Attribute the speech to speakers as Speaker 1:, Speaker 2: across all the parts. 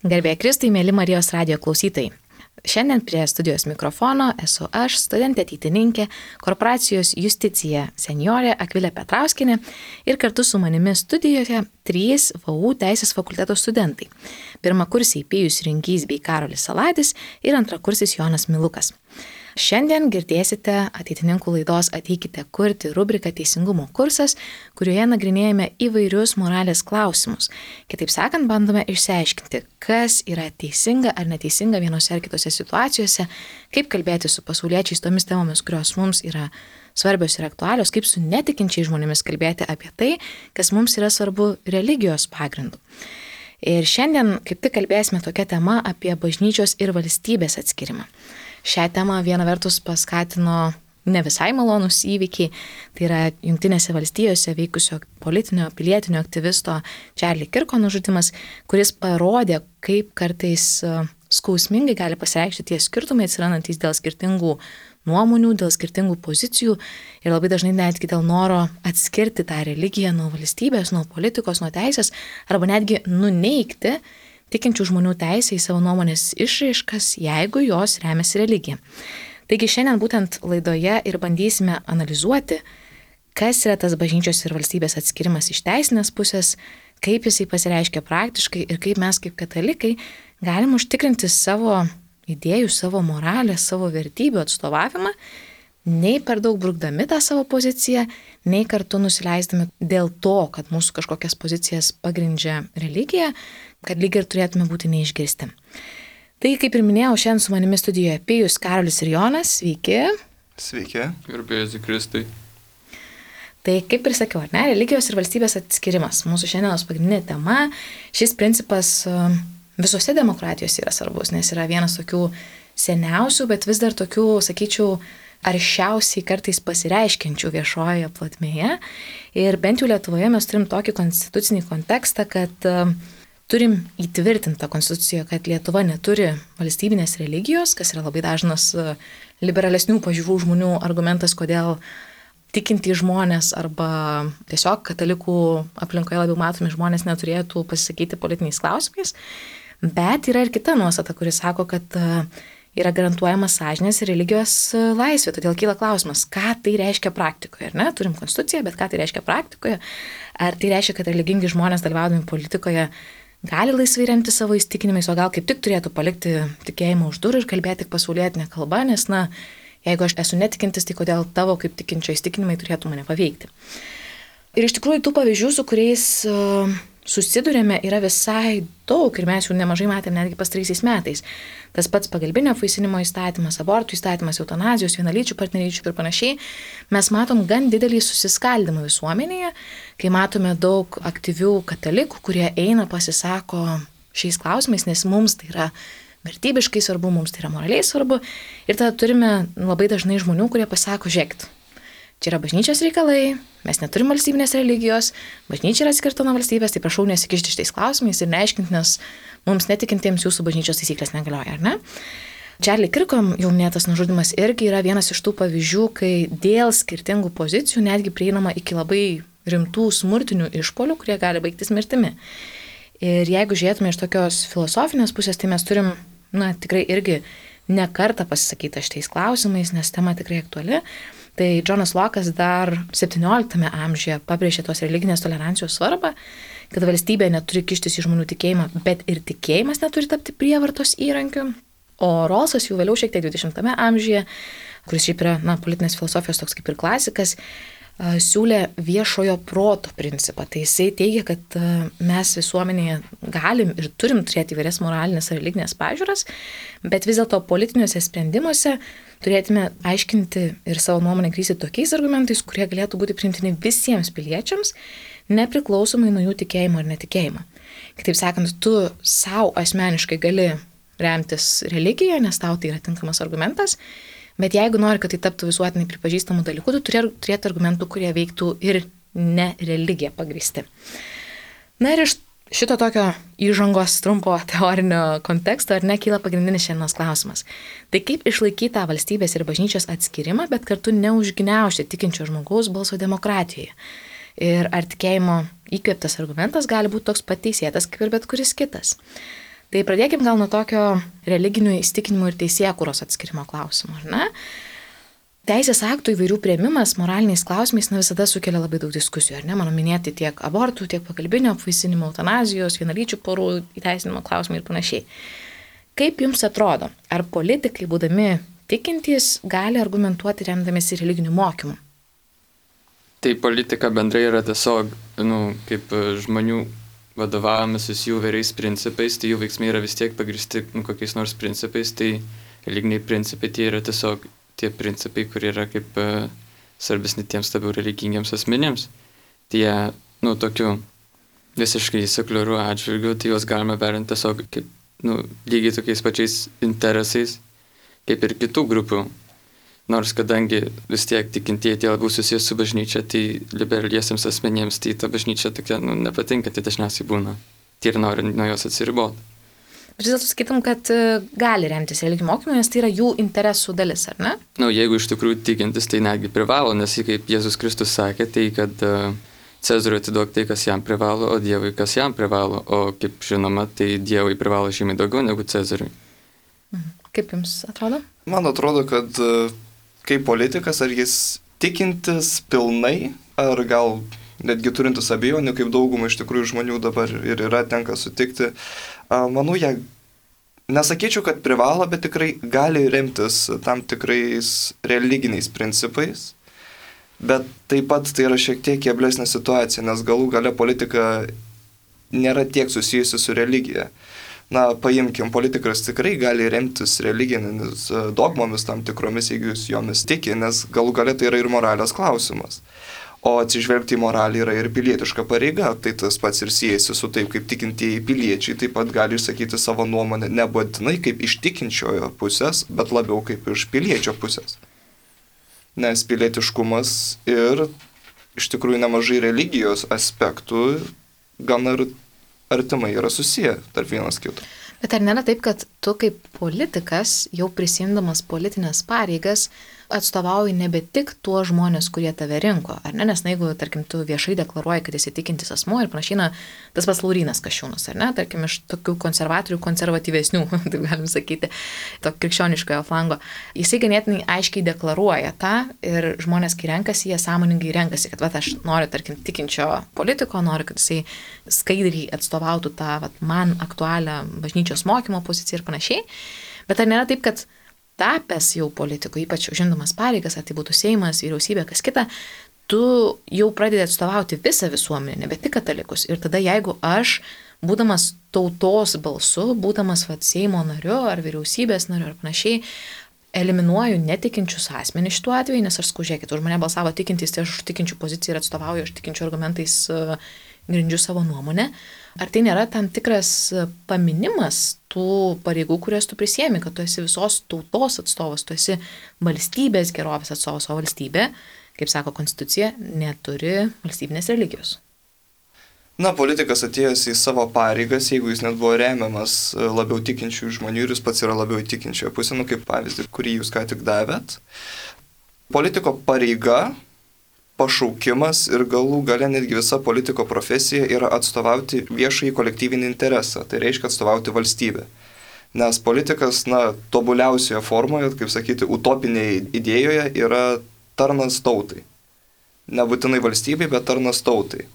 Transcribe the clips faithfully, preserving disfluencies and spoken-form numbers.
Speaker 1: Garbė Kristui, mėly Marijos radijo klausytojai. Šiandien prie studijos mikrofono esu aš, studentė ateitininkė, korporacijos Justicija seniorė Akvilė Petrauskienė ir kartu su manimi studijoje trys V U Teisės fakulteto studentai. Pirmakursiai Pijus Rinkys bei Karolis Saladis ir antrakursis Jonas Milukas. Šiandien girdėsite ateitininkų laidos Ateikite kurti rubriką Teisingumo kursas, kurioje nagrinėjame įvairius moralės klausimus. Kitaip sakant, bandome išsiaiškinti, kas yra teisinga ar neteisinga vienose ar kitose situacijose, kaip kalbėti su pasauliečiais tomis temomis, kurios mums yra svarbios ir aktualios, kaip su netikinčiais žmonėmis kalbėti apie tai, kas mums yra svarbu religijos pagrindu. Ir šiandien kaip tik kalbėsime tokia tema apie bažnyčios ir valstybės atskirimą. Šią temą viena vertus paskatino ne visai malonus įvykiai, tai yra Jungtinėse valstijose veikusio politinio, pilietinio aktyvisto Charlie Kirko nužudymas, kuris parodė, kaip kartais skausmingai gali pasireikšti tie skirtumai atsirandantis dėl skirtingų nuomonių, dėl skirtingų pozicijų ir labai dažnai netgi dėl noro atskirti tą religiją nuo valstybės, nuo politikos, nuo teisės arba netgi nuneigti tikinčių žmonių teisę į savo nuomonės išraiškas, jeigu jos remiasi religija. Taigi šiandien būtent laidoje ir bandysime analizuoti, kas yra tas bažnyčios ir valstybės atskirimas iš teisinės pusės, kaip jisai pasireiškia praktiškai ir kaip mes kaip katalikai galim užtikrinti savo idėjų, savo moralės, savo vertybių atstovavimą, nei per daug brukdami tą savo poziciją, nei kartu nusileisdami dėl to, kad mūsų kažkokias pozicijas pagrindžia religija, kad lyg ir turėtume būti neišgirsti. Tai, kaip ir minėjau, šiandien su manimi studijoje Pijus, Karolis ir Jonas. Sveiki.
Speaker 2: Sveiki.
Speaker 3: Garbė Kristui.
Speaker 1: Tai, kaip ir sakiau, ar ne, religijos ir valstybės atskirimas. Mūsų šiandienos pagrindinė tema. Šis principas visose demokratijose yra svarbus, nes yra vienas tokių seniausių, bet vis dar tokių, sakyčiau, aršiausiai kartais pasireiškiančių viešojoje plotmėje. Ir bent jau Lietuvoje mes turim tokį konstitucinį kontekstą, kad uh, turim įtvirtintą konstitucijoje, kad Lietuva neturi valstybinės religijos, kas yra labai dažnas uh, liberalesnių pažiūrų žmonių argumentas, kodėl tikintys žmonės arba tiesiog katalikų aplinkoje labiau matomi žmonės neturėtų pasisakyti politiniais klausimais. Bet yra ir kita nuostata, kuri sako, kad uh, yra garantuojama sąžinės ir religijos laisvė. Todėl kyla klausimas, ką tai reiškia praktikoje. Ar ne? Turim konstituciją, bet ką tai reiškia praktikoje? Ar tai reiškia, kad religingi žmonės dalyvaudami politikoje gali laisvai remti savo įsitikinimais, o gal kaip tik turėtų palikti tikėjimą už durų ir kalbėti tik pasaulietinę kalbą, nes, na, jeigu aš esu netikintis, tai kodėl tavo kaip tikinčio įsitikinimai turėtų mane paveikti. Ir iš tikrųjų tų pavyzdžių, su kuriais uh, susidurėme, yra visai daug ir mes jų nemažai matėme netgi pastaraisiais metais. Tas pats pagalbinio apvaisinimo įstatymas, abortų įstatymas, eutanazijos, vienalyčių partnerysčių ir panašiai. Mes matom gan didelį susiskaldimą visuomenėje, kai matome daug aktyvių katalikų, kurie eina pasisako šiais klausimais, nes mums tai yra vertybiškai svarbu, mums tai yra moraliai svarbu. Ir tada turime labai dažnai žmonių, kurie pasako, žiūrėkit, čia yra bažnyčios reikalai, mes neturim valstybinės religijos, bažnyčia yra atskirta nuo valstybės, tai prašau nesikišti šitais klausimais ir neaiškinti, nes mums netikintiems jūsų bažnyčios taisyklės negalioja, ar ne? Charlie Kirko jau minėtas nužudymas irgi yra vienas iš tų pavyzdžių, kai dėl skirtingų pozicijų netgi prieinama iki labai rimtų smurtinių išpuolių, kurie gali baigtis mirtimi. Ir jeigu žiūrėtume iš tokios filosofinės pusės, tai mes turim, na, tikrai irgi ne kartą pasisakyti šitais klausimais, nes tema tikrai aktuali. Tai Džonas Lokas dar septynioliktame amžiuje pabrėžė tos religinės tolerancijos svarbą, kad valstybė neturi kištis į žmonių tikėjimą, bet ir tikėjimas neturi tapti prievartos įrankiu. O Rawlsas jau vėliau šiek tiek dvidešimtame amžiuje, kuris šiaip yra, na, politinės filosofijos toks kaip ir klasikas, siūlė viešojo proto principą. Tai jisai teigia, kad mes visuomenėje galim ir turim turėti įvairias moralinės ar religinės pažiūras, bet vis dėlto politiniuose sprendimuose turėtume aiškinti ir savo nuomonę grįsti tokiais argumentais, kurie galėtų būti priimtini visiems piliečiams, nepriklausomai nuo jų tikėjimo ar netikėjimo. Kitaip sakant, tu savo asmeniškai gali remtis religiją, nes tau tai yra tinkamas argumentas, bet jeigu nori, kad tai taptų visuotinai pripažįstamų dalykų, tu turėtų argumentų, kurie veiktų ir ne religiją pagrįsti. Na ir iš šito tokio įžangos trumpo teorinio konteksto ar ne kyla pagrindinis šiandienos klausimas. Tai kaip išlaikyti tą valstybės ir bažnyčios atskirimą, bet kartu neužgniaužti tikinčio žmogaus balso demokratijoje. Ir ar tikėjimo įkvėptas argumentas gali būti toks pat teisėtas kaip ir bet kuris kitas. Tai pradėkim gal nuo tokio religinių įsitikinimų ir teisėkūros atskirimo klausimo, ar ne? Teisės aktų įvairių prieimimas moraliniais klausimais na, visada sukelia labai daug diskusijų, ar ne? Mano minėti tiek abortų, tiek pagalbinio apvaisinimo, eutanazijos, vienalyčių porų įteisinimo klausimai ir panašiai. Kaip jums atrodo, ar politikai, būdami tikintys, gali argumentuoti remdamiesi religiniu mokymu?
Speaker 2: Tai politika bendrai yra tiesiog, nu, kaip žmonių vadovavimasis jų vairiais principais, tai jų veiksmai yra vis tiek pagristi nu, kokiais nors principais, tai religiniai principai tai yra tiesiog tie principai, kurie yra kaip uh, svarbesni tiems labiau religingiams asmenėms. Tie, nu, tokiu visiškai sekuliarių atžvilgių, tai juos galime vertinti tiesiog kaip, nu, lygiai tokiais pačiais interesais, kaip ir kitų grupių. Nors kadangi vis tiek tikintieji tie labiau susijęs su bažnyčia, tai liberaliesiems asmenėms tai ta bažnyčia tokia, nu, nepatinka, tai dažniausiai būna. Tai ir nori nuo jos atsiriboti.
Speaker 1: Vis dėlto sakytum, kad gali remtis religiniu mokymu, nes tai yra jų interesų dalis, ar ne?
Speaker 2: Na, nu, jeigu iš tikrųjų tikintis, tai netgi privalo, nes kaip Jėzus Kristus sakė, tai kad uh, Cezariui atiduok tai, kas jam privalo, o Dievui, kas jam privalo. O kaip žinoma, tai Dievui privalo žymiai daugiau negu Cezariui.
Speaker 1: Kaip jums atrodo?
Speaker 3: Man atrodo, kad uh, kaip politikas, ar jis tikintis pilnai, ar gal netgi turintis abejonių, kaip daugumą iš tikrųjų žmonių dabar ir yra tenka sutikti, manau, jie, nesakyčiau, kad privalo, bet tikrai gali remtis tam tikrais religiniais principais, bet taip pat tai yra šiek tiek keblesnė situacija, nes galų gale politika nėra tiek susijusi su religija. Na, paimkim, politikas tikrai gali remtis religinėmis dogmomis tam tikromis, jeigu jūs jomis tiki, nes galų gale tai yra ir moralės klausimas. O atsižvelgti į moralį yra ir pilietiška pareiga, tai tas pats ir siejasi su taip, kaip tikintieji piliečiai taip pat gali išsakyti savo nuomonę nebūtinai kaip iš tikinčiojo pusės, bet labiau kaip iš piliečio pusės. Nes pilietiškumas ir iš tikrųjų nemažai religijos aspektų gan ir artimai yra susiję tarp vienas kito.
Speaker 1: Bet ar nėra taip, kad tu kaip politikas, jau prisimdamas politinės pareigas, atstovauji nebe tik tuos žmonės, kurie tave rinko, ar ne? Nes na, jeigu, tarkim, tu viešai deklaruoji, kad esi tikintis asmuo ir panašiai, na, tas pats Laurynas Kasčiūnas, ar ne? Tarkim, iš tokių konservatorių konservatyvesnių, taip galim sakyti, to krikščioniškojo flango. Jisai ganėtinai aiškiai deklaruoja tą ir žmonės, kai renkasi, jie sąmoningai renkasi, kad va, aš noriu, tarkim, tikinčio politiko, noriu, kad jisai skaidriai atstovautų tą va, man aktualią bažnyčios mokymo poziciją ir panašiai. Bet ar nėra taip, kad tapęs jau politiku, ypač užimdamas pareigas, ar tai būtų Seimas, vyriausybė, kas kita, tu jau pradedi atstovauti visą visuomenę, nebe tik katalikus. Ir tada jeigu aš, būdamas tautos balsu, būdamas vat, Seimo nariu ar vyriausybės nariu ar panašiai, eliminuoju netikinčius asmenys šituo atveju, nes aš skužėkit, už mane balsavo tikintys, tai aš už tikinčių poziciją ir atstovauju, aš tikinčių argumentais uh, grindžiu savo nuomonę. Ar tai nėra tam tikras paminimas tų pareigų, kurias tu prisiemi, kad tu esi visos tautos atstovas, tu esi valstybės gerovės atstovas, o valstybė, kaip sako konstitucija, neturi valstybinės religijos?
Speaker 3: Na, politikas atėjęs į savo pareigas, jeigu jis net buvo remiamas labiau tikinčių žmonių ir jis pats yra labiau tikinčioje pusė, nu kaip pavyzdį, kurį jūs ką tik davėt, politiko pareiga, pašaukimas ir galų gale netgi visa politiko profesija yra atstovauti viešąjį kolektyvinį interesą, tai reiškia atstovauti valstybę. Nes politikas, na, tobuliausioje formoje, kaip sakyti, utopinėje idėjoje yra tarnas tautai. Nebūtinai valstybei, bet tarnas tautai.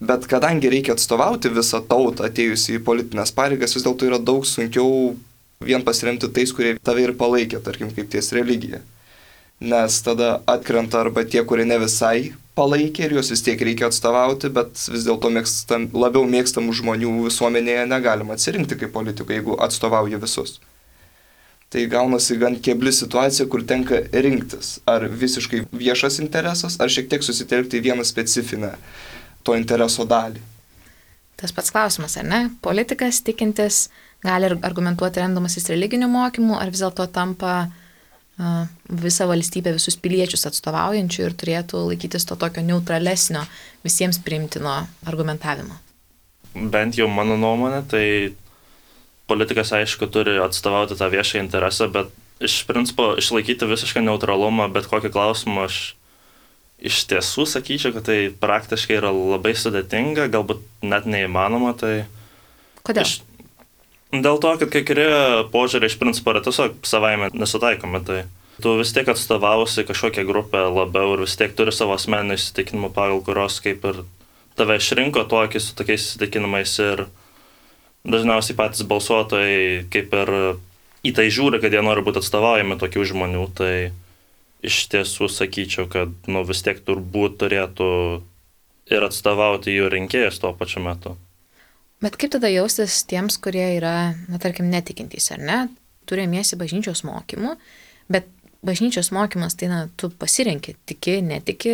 Speaker 3: Bet kadangi reikia atstovauti visą tautą atėjusi į politinės pareigas, vis dėlto yra daug sunkiau vien pasiremti tais, kurie tave ir palaikė, tarkim, kaip ties religija. Nes tada atkrenta arba tie, kurie ne visai palaikė ir juos vis tiek reikia atstovauti, bet vis dėlto mėgstam, labiau mėgstamų žmonių visuomenėje negalima atsirinkti kaip politikų, jeigu atstovauja visus. Tai gaunasi gan kebli situacija, kur tenka rinktis, ar visiškai viešas interesas, ar šiek tiek susitelkti vieną specifinę to intereso dalį.
Speaker 1: Tas pats klausimas, ar ne? Politikas tikintis gali argumentuoti remdamasis religiniu mokymu, ar vis dėlto tampa visą valstybę, visus piliečius atstovaujančių ir turėtų laikytis to tokio neutralesnio, visiems priimtino argumentavimo.
Speaker 4: Bent jau mano nuomonė, tai politikas aišku turi atstovauti tą viešą interesą, bet iš principo išlaikyti visišką neutralumą, bet kokį klausimą aš iš tiesų sakyčiau, kad tai praktiškai yra labai sudėtinga, galbūt net neįmanoma. Tai
Speaker 1: Kodėl?
Speaker 4: Iš, Dėl to, kad kai kurie požiūriai iš principo yra tiesiog savaime nesutaikomi, tai tu vis tiek atstovausi kažkokią grupę labiau ir vis tiek turi savo asmeninių įsitikinimų, pagal kurios kaip ir tave išrinko tokį su tokiais įsitikinimais ir dažniausiai patys balsuotojai kaip ir į tai žiūri, kad jie nori būti atstovaujami tokių žmonių, tai iš tiesų sakyčiau, kad nu, vis tiek turbūt turėtų ir atstovauti jų rinkėjus tuo pačiu metu.
Speaker 1: Bet kaip tada jaustis tiems, kurie yra, na tarkim, netikintys, ar ne? Turėmiesi bažnyčios mokymų, bet bažnyčios mokymas, tai na, tu pasirenki, tiki, netiki,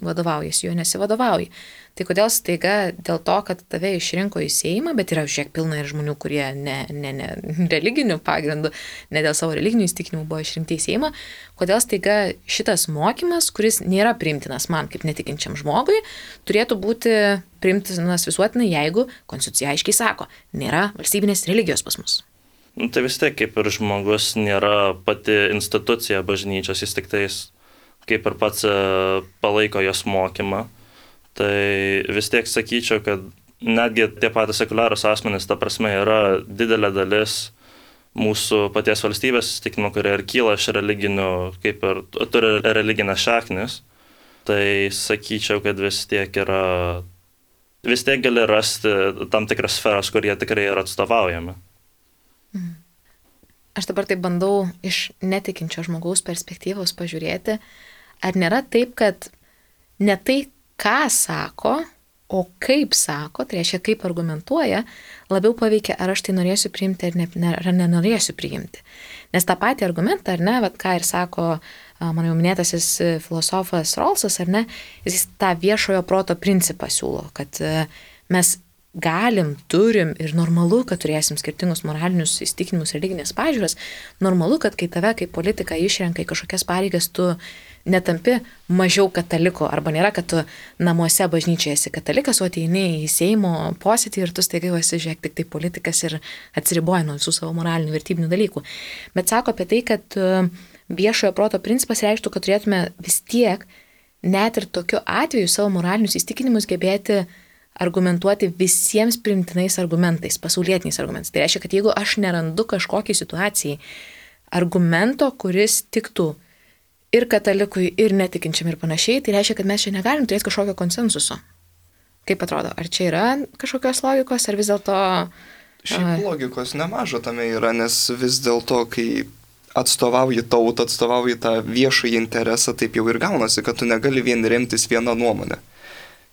Speaker 1: vadovaujasi, jo nesivadovauji. Tai kodėl staiga dėl to, kad tave išrinko į Seimą, bet yra žiek pilna ir žmonių, kurie ne, ne, ne religinių pagrindų, ne dėl savo religinių įsitikinimų buvo išrinkti į Seimą, kodėl staiga šitas mokymas, kuris nėra priimtinas man kaip netikinčiam žmogui, turėtų būti priimtinas visuotinai, jeigu konstitucija aiškiai sako, nėra valstybinės religijos pas mus.
Speaker 4: Nu, tai vis tiek kaip ir žmogus nėra pati institucija bažnyčios, jis tik tais kaip ir pats palaiko jos mokymą. Tai vis tiek sakyčiau, kad netgi tie patys sekuliarūs asmenys, ta prasme, yra didelė dalis mūsų paties valstybės įsitikinimų, kurie ir kyla iš religinių, kaip ir turi religinės šaknis. Tai sakyčiau, kad vis tiek yra, vis tiek gali rasti tam tikras sferas, kur jie tikrai yra atstovaujami.
Speaker 1: Aš dabar tai bandau iš netikinčio žmogaus perspektyvos pažiūrėti, ar nėra taip, kad ne tai, ką sako, o kaip sako, tai reiškia, kaip argumentuoja, labiau paveikia, ar aš tai norėsiu priimti ar, ne, ar nenorėsiu priimti. Nes tą patį argumentą, ar ne, vat, ką ir sako mano jau minėtasis filosofas Rawlsas, ar ne, jis tą viešojo proto principą siūlo, kad mes galim, turim ir normalu, kad turėsim skirtingus moralinius įsitikinimus, religinės pažiūras, normalu, kad kai tave kaip politiką išrenka į kažkokias pareigas, tu netampi mažiau kataliku, arba nėra, kad tu namuose bažnyčioje esi katalikas, o ateini į Seimo posėdį ir tu staiga esi, žiūrėk, tik tai politikas ir atsiriboji nuo visų savo moralinių vertybinių dalykų. Bet sako apie tai, kad viešojo proto principas reikštų, kad turėtume vis tiek, net ir tokiu atveju, savo moralinius įsitikinimus gebėti argumentuoti visiems primtinais argumentais, pasaulietiniais argumentais. Tai reiškia, kad jeigu aš nerandu kažkokiai situacijai argumento, kuris tiktų ir katalikui, ir netikinčiam ir panašiai, tai reiškia, kad mes čia negalim turėti kažkokio konsensuso. Kaip atrodo, ar čia yra kažkokios logikos, ar vis dėlto...
Speaker 3: Šiaip logikos nemažo tame yra, nes vis dėlto, kai atstovauji tautą, atstovauji tą viešąjį interesą, taip jau ir gaunasi, kad tu negali vien remtis vieną nuomonę.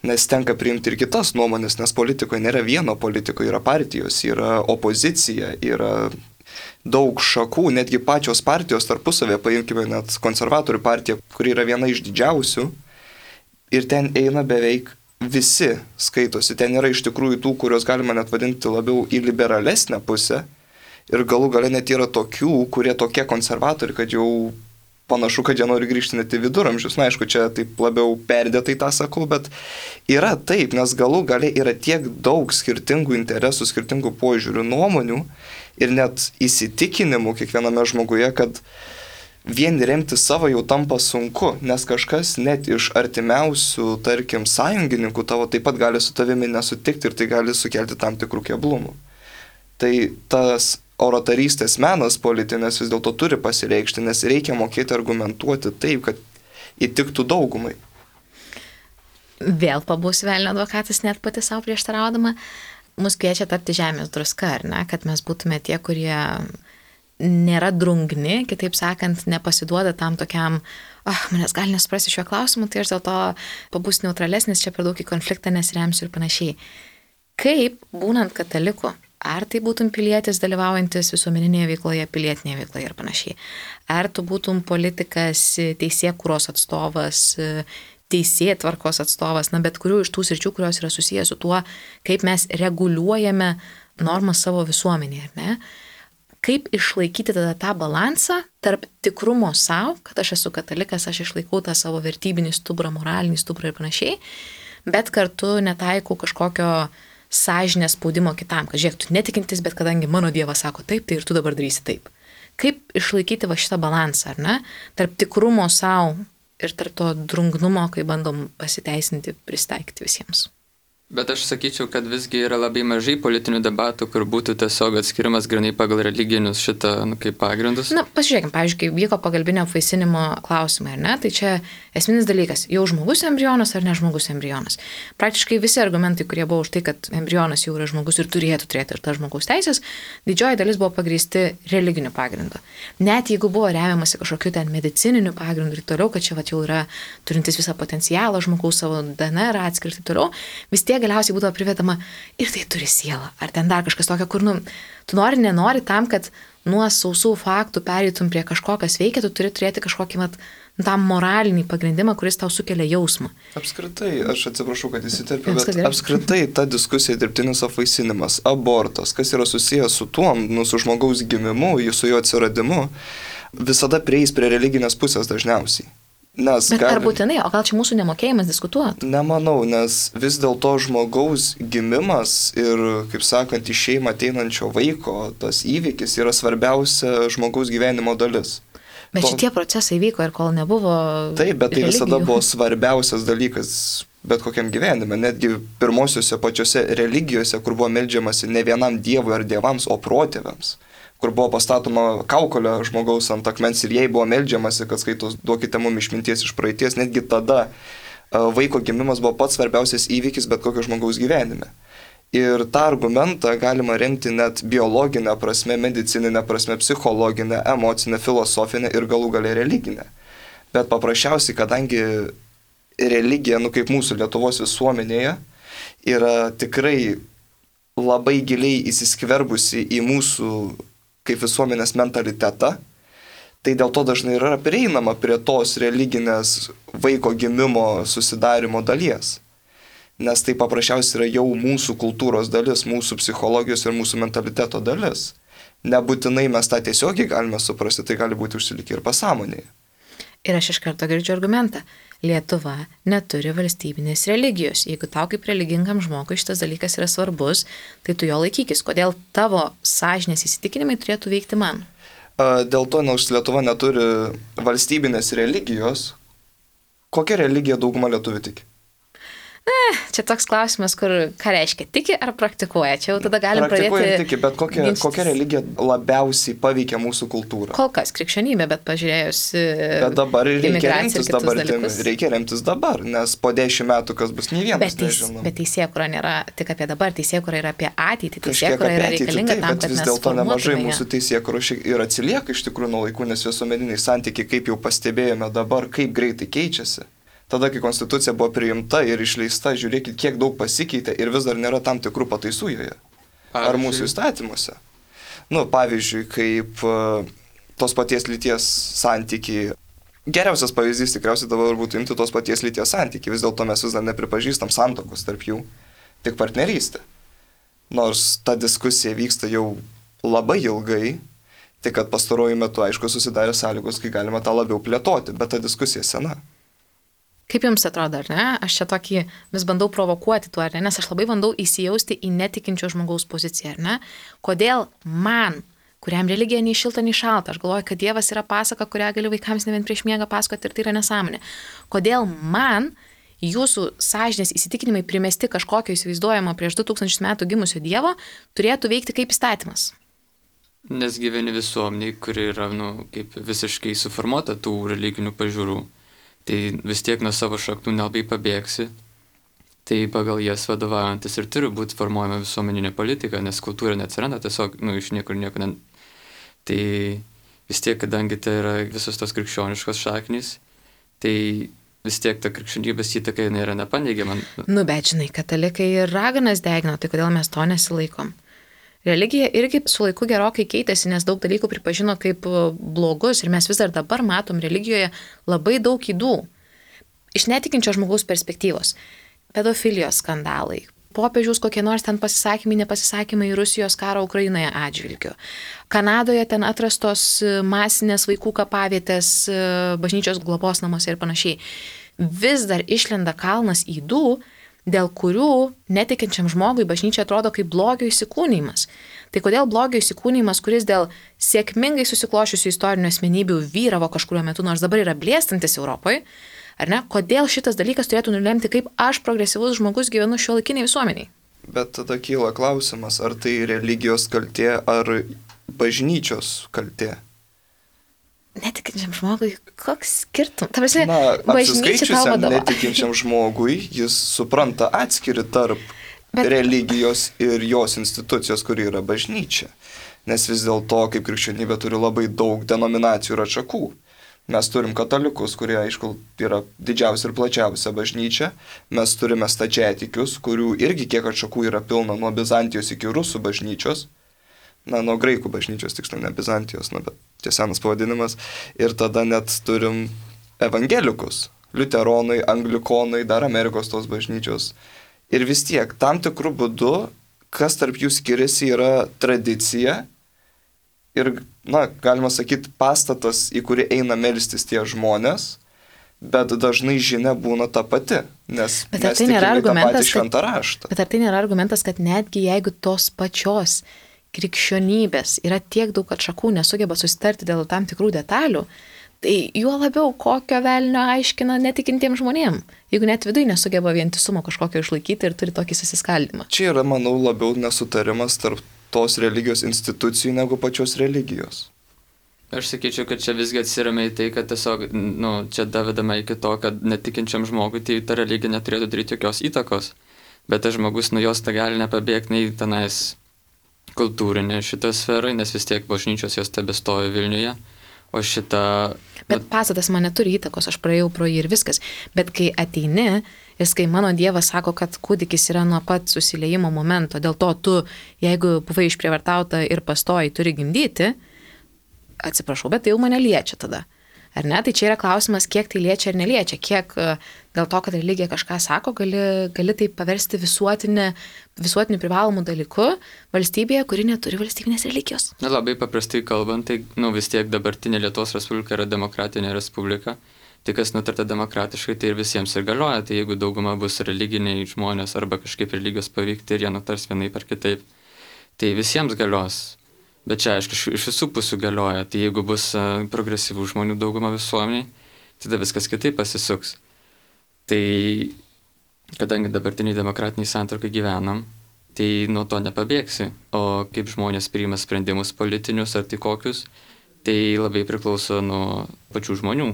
Speaker 3: Nes tenka priimti ir kitas nuomonės, nes politikoje nėra vieno politiko, yra partijos, yra opozicija, yra daug šakų, netgi pačios partijos tarpusavė, paimkime net konservatorių partiją, kuri yra viena iš didžiausių, ir ten eina beveik visi skaitosi, ten yra iš tikrųjų tų, kurios galima net vadinti labiau į liberalesnę pusę, ir galų gale net yra tokių, kurie tokie konservatoriai, kad jau panašu, kad jie nori grįžti net į viduramžius. Na, aišku, čia taip labiau perdėtai tą sakau, bet yra taip, nes galų gale yra tiek daug skirtingų interesų, skirtingų požiūrių, nuomonių ir net įsitikinimų kiekviename žmoguje, kad vien remti savo jau tampa sunku, nes kažkas net iš artimiausių, tarkim, sąjungininkų tavo taip pat gali su tavimi nesutikti ir tai gali sukelti tam tikrų keblumų. Tai tas oratorystės menas politinės vis dėlto turi pasireikšti, nes reikia mokėti argumentuoti taip, kad įtiktų daugumai.
Speaker 1: Vėl pabūsiu velnio advokatas, net pati savo prieštaraudama. Mus kviečia tapti žemės druska, ar ne? Kad mes būtume tie, kurie nėra drungni, kitaip sakant, nepasiduoda tam tokiam, ah, manęs gali nesuprasti šiuo klausimu, tai aš dėl to pabūsiu neutralesnis, čia per daug į konfliktą nesiremsiu ir panašiai. Kaip, būnant kataliku, ar tai būtum pilietis dalyvaujantis visuomeninėje veikloje, pilietinėje veikloje ir panašiai. Ar tu būtum politikas, teisėkūros atstovas, teisėtvarkos atstovas, na bet kurių iš tų sričių, kurios yra susijęs su tuo, kaip mes reguliuojame normas savo visuomenėje, ar ne? Kaip išlaikyti tada tą balansą tarp tikrumo savo, kad aš esu katalikas, aš išlaikau tą savo vertybinį stuburą, moralinį stuburą ir panašiai, bet kartu netaikau kažkokio sąžinės spaudimo kitam, kad žiūrėk, tu netikintis, bet kadangi mano Dievas sako taip, tai ir tu dabar darysi taip. Kaip išlaikyti va šitą balansą, ar ne? Tarp tikrumo savo ir tarp to drungnumo, kai bandom pasiteisinti, pristaikyti visiems.
Speaker 2: Bet aš sakyčiau, kad visgi yra labai mažai politinių debatų, kur būtų tiesiog atskirimas grinai pagal religinius šitą, nu, kaip pagrindus.
Speaker 1: Na, pasižiūrėkime, pavyzdžiui, kai vyko pagalbinio apvaisinimo klausimai, ar ne, tai čia esminis dalykas, jau žmogus embrionas ar ne žmogus embrionas. Praktiškai visi argumentai, kurie buvo už tai, kad embrionas jau yra žmogus ir turėtų turėti ir tas žmogaus teisės, didžioji dalis buvo pagrįsti religiniu pagrindu. Net jeigu buvo remiamasi kažkokiu ten medicininiu pagrindu ir toliau, kad čia va, jau yra turintis visą potencialą žmogaus savo D N R atskirti ir toliau, vis tiek galiausiai būdavo privedama ir tai turi sielą, ar ten dar kažkas tokio, kur, nu, tu nori, nenori tam, kad nuo sausų faktų pereitum prie kažko, kas veikia, tu turi turėti kažkokį, mat, tam moralinį pagrindimą, kuris tau sukelia jausmą.
Speaker 3: Apskritai, aš atsiprašau, kad įsiterpiu, bet apskritai ta diskusija dirbtinis apvaisinimas, abortas, kas yra susijęs su tuo, nu, su žmogaus gimimu, su jo atsiradimu, visada prieis prie religinės pusės dažniausiai. Nes
Speaker 1: Bet
Speaker 3: gali...
Speaker 1: ar būtinai, o gal čia mūsų nemokėjimas diskutuoti?
Speaker 3: Nemanau, nes vis dėlto žmogaus gimimas ir, kaip sakant, iš šeimą ateinančio vaiko, tas įvykis yra svarbiausia žmogaus gyvenimo dalis.
Speaker 1: Bet
Speaker 3: to...
Speaker 1: šitie procesai vyko ir kol nebuvo...
Speaker 3: Taip, bet tai
Speaker 1: religijų.
Speaker 3: visada buvo svarbiausias dalykas bet kokiam gyvenime. Netgi pirmosiuose pačiose religijose, kur buvo meldžiamasi ne vienam dievui ar dievams, o protėviams, kur buvo pastatoma kaukolė žmogaus ant akmens ir jai buvo meldžiamasi, kad skaitos duokite mums išminties iš praeities, netgi tada vaiko gimimas buvo pats svarbiausias įvykis bet kokio žmogaus gyvenime. Ir tą argumentą galima remti net biologinę prasme, medicininę prasme, psichologinę, emocinę, filosofinę ir galų gale religinę. Bet paprasčiausiai, kadangi religija, nu kaip mūsų Lietuvos visuomenėje, yra tikrai labai giliai įsiskverbusi į mūsų kaip visuomenės mentalitetą, tai dėl to dažnai yra prieinama prie tos religinės vaiko gimimo susidarimo dalies. Nes tai paprasčiausiai yra jau mūsų kultūros dalis, mūsų psichologijos ir mūsų mentaliteto dalis. Nebūtinai mes tą tiesiogiai galime suprasti, tai gali būti užsilikę ir pasąmonėje.
Speaker 1: Ir aš iš karto girdžiu argumentą. Lietuva neturi valstybinės religijos. Jeigu tau kaip religingam žmogui šitas dalykas yra svarbus, tai tu jo laikykis. Kodėl tavo sąžinės įsitikinimai turėtų veikti man?
Speaker 3: Dėl to, nors Lietuva neturi valstybinės religijos, kokią religiją dauguma lietuvių tiki?
Speaker 1: Na, čia toks klausimas, kur ką reiškia, tiki ar praktikuoja. Čia jau tada galim
Speaker 3: praktikuoja
Speaker 1: pradėti...
Speaker 3: Praktikuoja ir tiki, bet kokia, kokia religija labiausiai paveikia mūsų kultūrą?
Speaker 1: Kol kas krikščionybė, bet pažiūrėjus...
Speaker 3: Bet dabar reikia remtis dabartimi, reikia remtis dabar, nes po dešimt metų kas bus nei vienas
Speaker 1: bet teis,
Speaker 3: nežinom.
Speaker 1: Bet teisėkūra nėra tik apie dabar, teisėkūra yra apie ateitį,
Speaker 3: Kažkiek
Speaker 1: teisėkūra
Speaker 3: apie
Speaker 1: yra
Speaker 3: ateitį,
Speaker 1: reikalinga
Speaker 3: taip,
Speaker 1: tam,
Speaker 3: bet
Speaker 1: kad
Speaker 3: vis
Speaker 1: mes
Speaker 3: dėlto nemažai
Speaker 1: formuotume
Speaker 3: mūsų teisėkūra ir atsilieka iš tikrųjų nuo laikų, nes visuomeniniai santykiai, kaip jau pastebėjome dabar, kaip greitai keičiasi. Tada, kai konstitucija buvo priimta ir išleista, žiūrėkit, kiek daug pasikeitė ir vis dar nėra tam tikrų pataisų joje. Ar mūsų įstatymuose. Nu, pavyzdžiui, kaip uh, tos paties lyties santykiai. Geriausias pavyzdys tikriausiai dabar būtų imti tos paties lyties santykiai. Vis dėlto mes vis dar nepripažįstam santuokos tarp jų, tik partnerystė. Nors ta diskusija vyksta jau labai ilgai, tik kad pastaruoju metu, aišku, susidarė sąlygos, kai galima tą labiau plėtoti, bet ta diskusija sena.
Speaker 1: Kaip jums atrodo, ar ne? Aš čia tokį vis bandau provokuoti tuo, ar ne? Nes aš labai bandau įsijausti į netikinčio žmogaus poziciją, ar ne? Kodėl man, kuriam religija nei šilta, nei šalta, aš galvoju, kad Dievas yra pasaka, kurią gali vaikams ne vien prieš miegą pasakoti ir tai yra nesąmonė. Kodėl man jūsų sąžinės įsitikinimai primesti kažkokio įsivaizduojamo prieš du tūkstančius metų gimusio Dievo turėtų veikti kaip įstatymas?
Speaker 2: Nes gyveni visuomeniai, kuri yra, nu, kaip visiškai suformuota tų religinių pažiūrų. Tai vis tiek nuo savo šaknų nelabai pabėgsi, tai pagal jas vadovaujantis ir turi būti formuojama visuomeninė politika, nes kultūra neatsiranda tiesiog, nu, iš niekur nieko. Ne... Tai vis tiek, kadangi tai yra visos tos krikščioniškos šaknys, tai vis tiek ta krikščionybės įtaka yra nepaneigiama.
Speaker 1: Nu, bet žinai, katalikai ir raganas degino, tai kodėl mes to nesilaikom? Religija irgi su laiku gerokai keitėsi, nes daug dalykų pripažino kaip blogus ir mes vis dar dabar matom religijoje labai daug ydų. Iš netikinčio žmogaus perspektyvos. Pedofilijos skandalai, popiežiaus kokie nors ten pasisakymai, nepasisakymai Rusijos karo Ukrainoje atžvilgiu. Kanadoje ten atrastos masinės vaikų kapavietės, bažnyčios globos namuose ir panašiai. Vis dar išlenda kalnas ydų, dėl kurių netikinčiam žmogui bažnyčia atrodo kaip blogio įsikūnymas. Tai kodėl blogio įsikūnymas, kuris dėl sėkmingai susiklošiusių istorinių asmenybių vyravo kažkurio metu, nors dabar yra blėstantis Europoje, Ar ne? Kodėl šitas dalykas turėtų nulemti, kaip aš progresyvus žmogus gyvenu šiuolaikiniai visuomeniai?
Speaker 3: Bet tada kyla klausimas, ar tai religijos kaltė, ar bažnyčios kaltė?
Speaker 1: Netikinčiam žmogui, koks skirtum? Ta prasme,
Speaker 3: Na,
Speaker 1: bažnyčia tau
Speaker 3: apsiskaičiusiam
Speaker 1: vadovauja.
Speaker 3: netikinčiam žmogui, jis supranta atskiri tarp
Speaker 1: Bet-
Speaker 3: religijos ir jos institucijos, kuri yra bažnyčia. Nes vis dėlto, kaip krikščionybė turi labai daug denominacijų ir atšakų. Mes turim katalikus, kurie, aišku, yra didžiausia ir plačiausia bažnyčia. Mes turime stačiatikius, kurių irgi kiek atšakų yra pilna nuo Bizantijos iki Rusų bažnyčios. Na, nuo graikų bažnyčios, tiksliau, ne Bizantijos, na, bet tie senas pavadinimas. Ir tada net turim evangelikus, liuteronai, anglikonai, dar Amerikos tos bažnyčios. Ir vis tiek, tam tikrų būdų, kas tarp jų skiriasi, yra tradicija ir, na, galima sakyti, pastatas, į kurį eina melstis tie žmonės, bet dažnai žinia būna ta pati, nes
Speaker 1: Bet ar
Speaker 3: mes
Speaker 1: tai nėra
Speaker 3: tikime tą
Speaker 1: argumentas,
Speaker 3: patį šventą raštą.
Speaker 1: Bet ar tai nėra argumentas, kad netgi jeigu tos pačios krikščionybės yra tiek daug atšakų, nesugeba susitarti dėl tam tikrų detalių, tai juo labiau kokio velnio aiškina netikintiems žmonėms, jeigu net viduje nesugeba vientisumo kažkokio išlaikyti ir turi tokį susiskaldimą.
Speaker 3: Čia yra, manau, labiau nesutarimas tarp tos religijos institucijų negu pačios religijos.
Speaker 2: Aš sakyčiau, kad čia visgi atsiremia į tai, kad tiesiog, nu, čia davedama iki to, kad netikinčiam žmogui tai ta religija neturėtų daryti jokios įtakos, bet tas žmogus nuo jos ta gali nepabėgti nei tenais kultūrinė šitą sferą, nes vis tiek bažnyčios jos tebestoja Vilniuje, o šitą...
Speaker 1: Bet pastatas man neturi įtakos, aš praėjau pro jį ir viskas. Bet kai ateini, ir kai mano Dievas sako, kad kūdikis yra nuo pat susiliejimo momento, dėl to tu, jeigu buvai išprievartauta ir pastoji, turi gimdyti, atsiprašau, bet tai jau mane liečia tada. Ar ne? Tai čia yra klausimas, kiek tai liečia ar neliečia, kiek dėl to, kad religija kažką sako, gali, gali tai paversti visuotinę, visuotiniu privalomų dalyku valstybėje, kuri neturi valstybinės religijos.
Speaker 2: Na, labai paprastai kalbant, tai, nu, vis tiek dabartinė Lietuvos Respublika yra demokratinė respublika. Tai kas nutarta demokratiškai, tai ir visiems ir galioja. Tai jeigu dauguma bus religiniai žmonės arba kažkaip religijos paveikti ir jie nutars vienaip ar kitaip, tai visiems galios. Bet čia, aišku, iš visų pusių galioja. Tai jeigu bus progresyvų žmonių dauguma visuomeniai, tada viskas kitaip pasisuks. Tai kadangi dabartiniai demokratiniai santvarkai gyvenam, tai nuo to nepabėgsi. O kaip žmonės priima sprendimus politinius ar tai kokius, tai labai priklauso nuo pačių žmonių.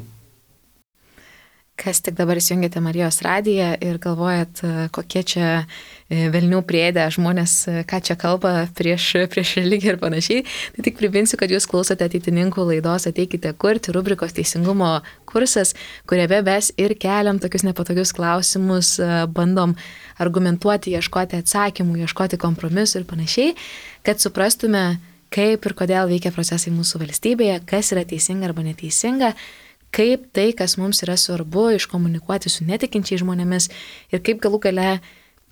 Speaker 1: Kas tik dabar įsijungėte Marijos radiją ir galvojat, kokie čia velnių priedę žmonės, ką čia kalba prieš, prieš religiją ir panašiai, tai tik priminsiu, kad jūs klausote ateitininkų laidos Ateikite kurti rubrikos teisingumo kursas, kuriame mes ir keliam tokius nepatogius klausimus, bandom argumentuoti, ieškoti atsakymų, ieškoti kompromisų ir panašiai, kad suprastume, kaip ir kodėl veikia procesai mūsų valstybėje, kas yra teisinga arba neteisinga, kaip tai, kas mums yra svarbu, iškomunikuoti su netikinčiais žmonėmis ir kaip galų gale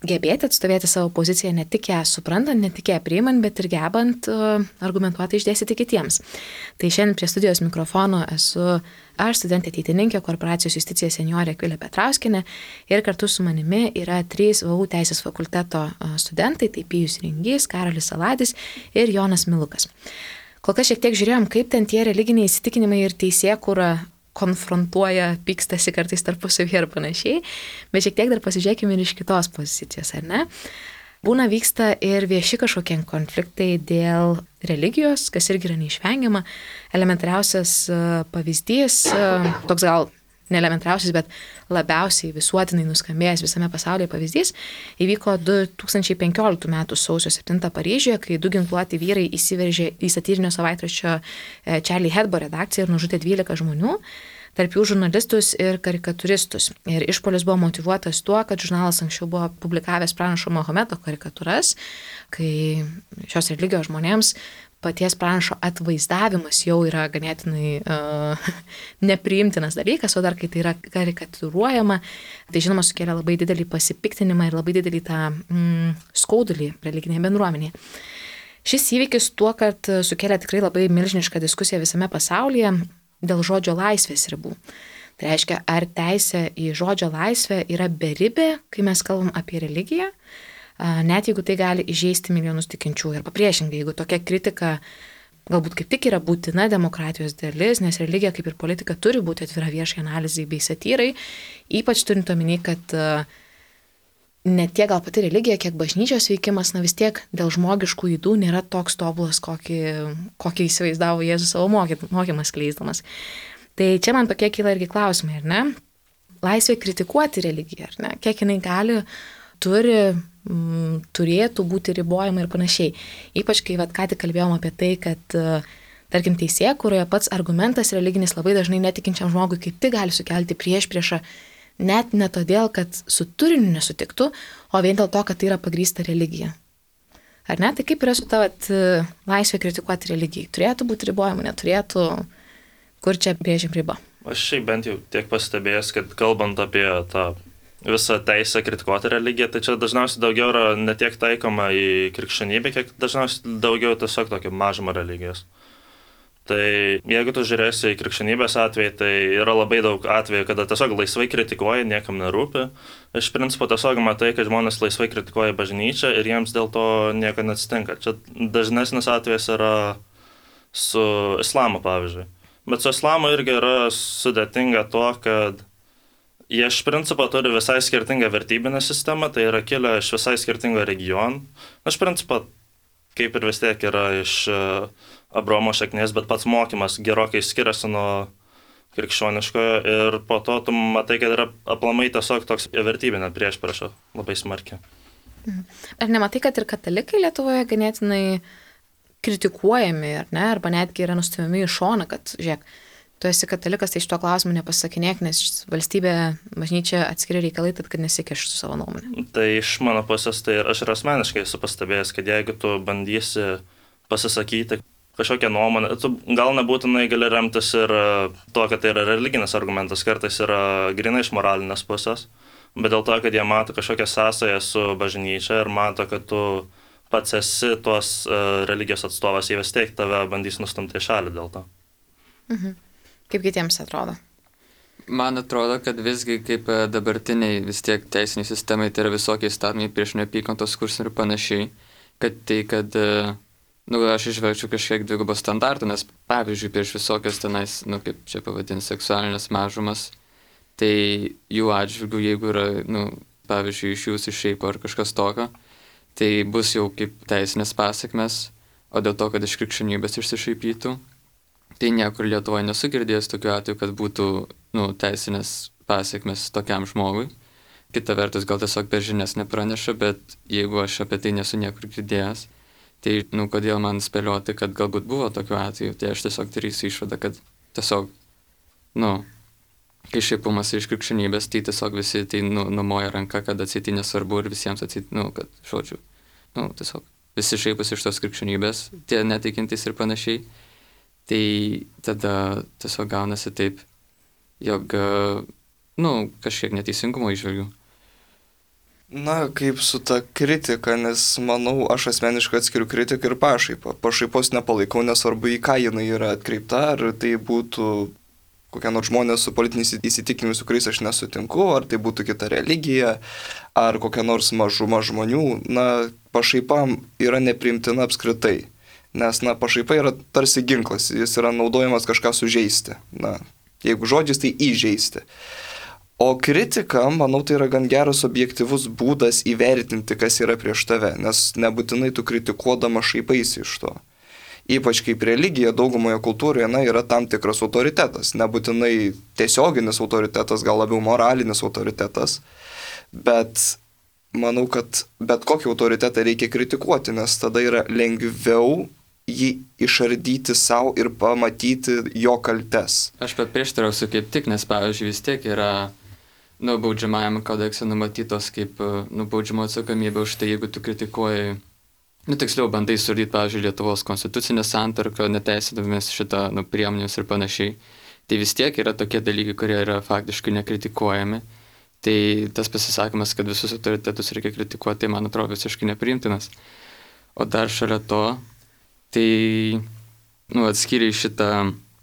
Speaker 1: gebėti atstovėti savo poziciją ne tik ją suprantant, ne tik ją priimant, bet ir gebant uh, argumentuoti išdėstyti kitiems. Tai šiandien prie studijos mikrofono esu aš, studentė ateitininkė, korporacijos justicija seniorė Akvilė Petrauskinė ir kartu su manimi yra trys V U teisės fakulteto uh, studentai, tai Pijus Ringys, Karolis Saladis ir Jonas Milukas. Kol kas šiek tiek žiūrėjom, kaip ten tie religiniai įsitikinimai ir teisėkūra konfrontuoja, pykstasi kartais tarpusavyje ir panašiai, bet šiek tiek dar pasižiūrėkime ir iš kitos pozicijos, ar ne? Būna vyksta ir vieši kažkokie konfliktai dėl religijos, kas irgi yra neišvengiama. Elementariausias pavyzdys, toks gal neelementariausias, bet labiausiai visuotinai nuskambėjęs visame pasaulyje pavyzdys, įvyko du tūkstančiai penkioliktų metų sausio septintą Paryžiuje, kai du ginkluoti vyrai įsiveržė į satyrinio savaitraščio Charlie Hebdo redakciją ir nužudė dvylika žmonių, tarp jų žurnalistus ir karikatūristus. Ir išpuolis buvo motyvuotas tuo, kad žurnalas anksčiau buvo publikavęs pranašo Mahometo karikatūras, kai šios religijos žmonėms paties pranašo atvaizdavimas jau yra ganėtinai uh, nepriimtinas dalykas, o dar kai tai yra karikatūruojama, tai žinoma sukelia labai didelį pasipiktinimą ir labai didelį tą mm, skaudulį religinėje bendruomenėje. Šis įvykis tuo, kad sukelia tikrai labai milžinišką diskusiją visame pasaulyje dėl žodžio laisvės ribų. Tai reiškia, ar teisė į žodžio laisvę yra beribė, kai mes kalbam apie religiją, net jeigu tai gali įžeisti milijonus tikinčių. Ir papriešingai, jeigu tokia kritika galbūt kaip tik yra būtina demokratijos dalis, nes religija kaip ir politika turi būti atvira viešai analizai bei satyrai, ypač turint omeny, kad ne tiek gal pati religija, kiek bažnyčios veikimas, na vis tiek dėl žmogiškų ydų nėra toks tobulas, kokį, kokį įsivaizdavo Jėzus savo mokymas skleisdamas. Tai čia man tokie kyla irgi klausimai, ar ne? Laisvė kritikuoti religiją, ar ne? Kiek jinai gali, turi, m, turėtų būti ribojama ir panašiai. Ypač kai vat, ką tik kalbėjom apie tai, kad tarkim teisėje, kurioje pats argumentas religinis labai dažnai netikinčiam žmogui kaip tik gali sukelti priešpriešą, net ne todėl, kad su turiniu nesutiktų, o vien dėl to, kad tai yra pagrįsta religija. Ar ne? Tai kaip yra su ta vat, laisvė kritikuoti religijai? Turėtų būti ribojama, neturėtų? Kur čia brėžiam ribą?
Speaker 4: Aš šiaip bent jau tiek pastebėjęs, kad kalbant apie tą visą teisę kritikuoti religiją, tai čia dažniausiai daugiau yra ne tiek taikoma į krikščionybę, kiek dažniausiai daugiau tiesiog tokio mažumo religijos. Tai jeigu tu žiūrėsi į krikščionybės atvejį, tai yra labai daug atvejų, kada tiesiog laisvai kritikuoja, niekam nerūpi. Iš principo tiesiog matai, kad žmonės laisvai kritikuoja bažnyčią ir jiems dėl to nieko neatsitinka. Čia dažnesnis atvejas yra su islamu, pavyzdžiui. Bet su islamu irgi yra sudėtinga tuo, kad jie iš principo turi visai skirtingą vertybinę sistemą, tai yra kilę iš visai skirtingo regionų. Iš principo, kaip ir vis tiek yra iš Abraomo šaknies, bet pats mokymas gerokai skiriasi nuo krikščioniškojo ir po to tu matai, kad yra aplamai tiesiog toks vertybinė priešprieša labai smarkiai.
Speaker 1: Ar nematai, kad ir katalikai Lietuvoje ganėtinai kritikuojami, ar ne, arba netgi yra nustumiami į šoną, kad, žiūrėk, tu esi katalikas, tai iš to klausimų nepasakinėk, nes valstybė, bažnyčia atskiri reikalai, tad kad nesikeštų savo nuomonę.
Speaker 4: Tai iš mano pusės, tai aš ir asmeniškai esu pastebėjęs, kad jeigu tu bandysi pasisakyti kažkokią nuomonę, tu gal nebūtinai gali remtis ir to, kad tai yra religinis argumentas, kartais yra grinai iš moralinės pusės, bet dėl to, kad jie mato kažkokią sąsają su bažnyčia ir mato, kad tu pats esi tos uh, religijos atstovas, jie vis tiek tave bandys nustumti į šalį dėl to.
Speaker 1: Mhm. Kaip kitiems atrodo?
Speaker 2: Man atrodo, kad visgi kaip dabartiniai vis tiek teisiniai sistemai, tai yra visokie įstatymai prieš neapykantos kursą ir panašiai, kad tai, kad, nu, aš išvelgčiau kažkiek dvigubo standartų, nes pavyzdžiui, prieš visokias tenais, nu, kaip čia pavadinti, seksualinės mažumas, tai jų atžvilgių, jeigu yra, nu, pavyzdžiui, iš jūsų išeipo ar kažkas tokio, tai bus jau kaip teisinės pasiekmes, o dėl to, kad iš krikščionybės išsišaipytų, tai niekur Lietuvoje nesu girdėjęs tokiu atveju, kad būtų, nu, teisinės pasiekmes tokiam žmogui. Kita vertus, gal tiesiog per žinias nepraneša, bet jeigu aš apie tai nesu niekur girdėjęs, tai, nu, kodėl man spėlioti, kad galbūt buvo tokiu atveju, tai aš tiesiog darysiu išvadą, kad tiesiog, nu, kai šaipumas iš krikščionybės, tai tiesiog visi tai, nu, numoja ranką, kad atseit tai nesvarbu ir visiems atseit, nu, kad, žodžiu, nu, tiesiog visi šaipas iš tos krikščionybės, tie netikintys ir panašiai. Tai tada tiesiog gaunasi taip, jog, nu, kažkiek neteisingumo įžvelgiu.
Speaker 3: Na, kaip su ta kritika, nes manau, aš asmeniškai atskiriu kritiką ir pašaipą. Pašaipos nepalaikau, nesvarbu į ką jinai yra atkreipta, ar tai būtų kokie nors žmonės su politiniais įsitikinimus, su kuriais aš nesutinku, ar tai būtų kita religija, ar kokia nors mažuma žmonių. Na, pašaipa yra nepriimtina apskritai. Nes, na, pašaipa yra tarsi ginklas, jis yra naudojamas kažką sužeisti. Na, jeigu žodžiais, tai įžeisti. O kritika, manau, tai yra gan geras objektyvus būdas įvertinti, kas yra prieš tave, nes nebūtinai tu kritikuodama šaipaisi iš to. Ypač kaip religija daugumoje kultūroje, na, yra tam tikras autoritetas. Nebūtinai tiesioginis autoritetas, gal labiau moralinis autoritetas, bet manau, kad bet kokį autoritetą reikia kritikuoti, nes tada yra lengviau jį išardyti savo ir pamatyti jo kaltes.
Speaker 2: Aš paprieštarausiu kaip tik, nes pavyzdžiui vis tiek yra, nu, baudžiamajame kodekse numatytos kaip, nu, baudžiamo atsakomybė už tai, jeigu tu kritikuoji, nu, tiksliau bandai surdyti, pavyzdžiui, Lietuvos konstitucinę santvarką, neteisėdamis šitą, nu, priemonės ir panašiai. Tai vis tiek yra tokie dalykai, kurie yra faktiškai nekritikuojami. Tai tas pasisakymas, kad visus autoritetus reikia kritikuoti, tai man atrodo visiškai nepriimtinas. O dar šalia to, tai, nu, atskiriai šitą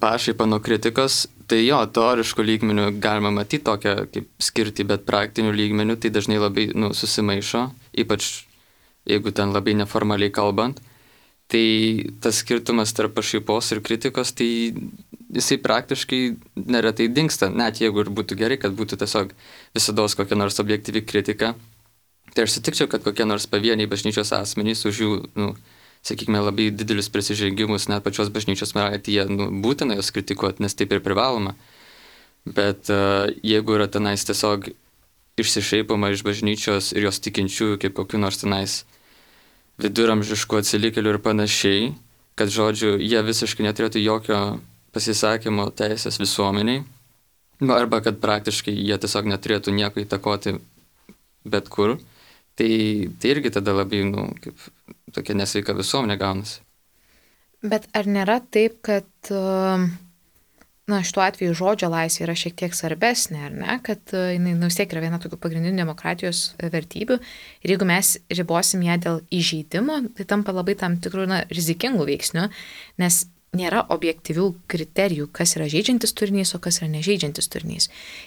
Speaker 2: pašaipą nuo kritikos, tai jo, teoriškų lygmenių galima matyti tokią kaip skirti, bet praktinių lygmenių tai dažnai labai, nu, susimaišo, ypač jeigu ten labai neformaliai kalbant. Tai tas skirtumas tarp pašaipos ir kritikos, tai jisai praktiškai neretai dingsta, net jeigu ir būtų gerai, kad būtų tiesiog visados kokia nors objektyvi kritika. Tai aš sutikčiau, kad kokie nors pavieniai bažnyčios asmenys už jų, nu, sakykime, labai didelius prisižengimus, net pačios bažnyčios moralėje, nu, būtina jos kritikuoti, nes taip ir privaloma. Bet uh, jeigu yra tenais tiesiog išsišaipama iš bažnyčios ir jos tikinčiųjų kaip kokiu nors tenais viduramžiškų atsilikėlių ir panašiai, kad, žodžiu, jie visiškai neturėtų jokio pasisakymo teisės visuomeniai, arba kad praktiškai jie tiesiog neturėtų nieko įtakoti bet kur, tai, tai irgi tada labai, nu, kaip tokia nesveika visuomenė gaunasi.
Speaker 1: Bet ar nėra taip, kad, na, šituo atveju žodžio laisvė yra šiek tiek svarbesnė, ar ne, kad jinai, nu, vis tiek yra viena tokių pagrindinių demokratijos vertybių ir jeigu mes ribosim ją dėl įžeidimo, tai tampa labai tam tikrų, na, rizikingų veiksnių, nes nėra objektyvių kriterijų, kas yra žeidžiantis turinys, o kas yra nežeidžiantis turinys.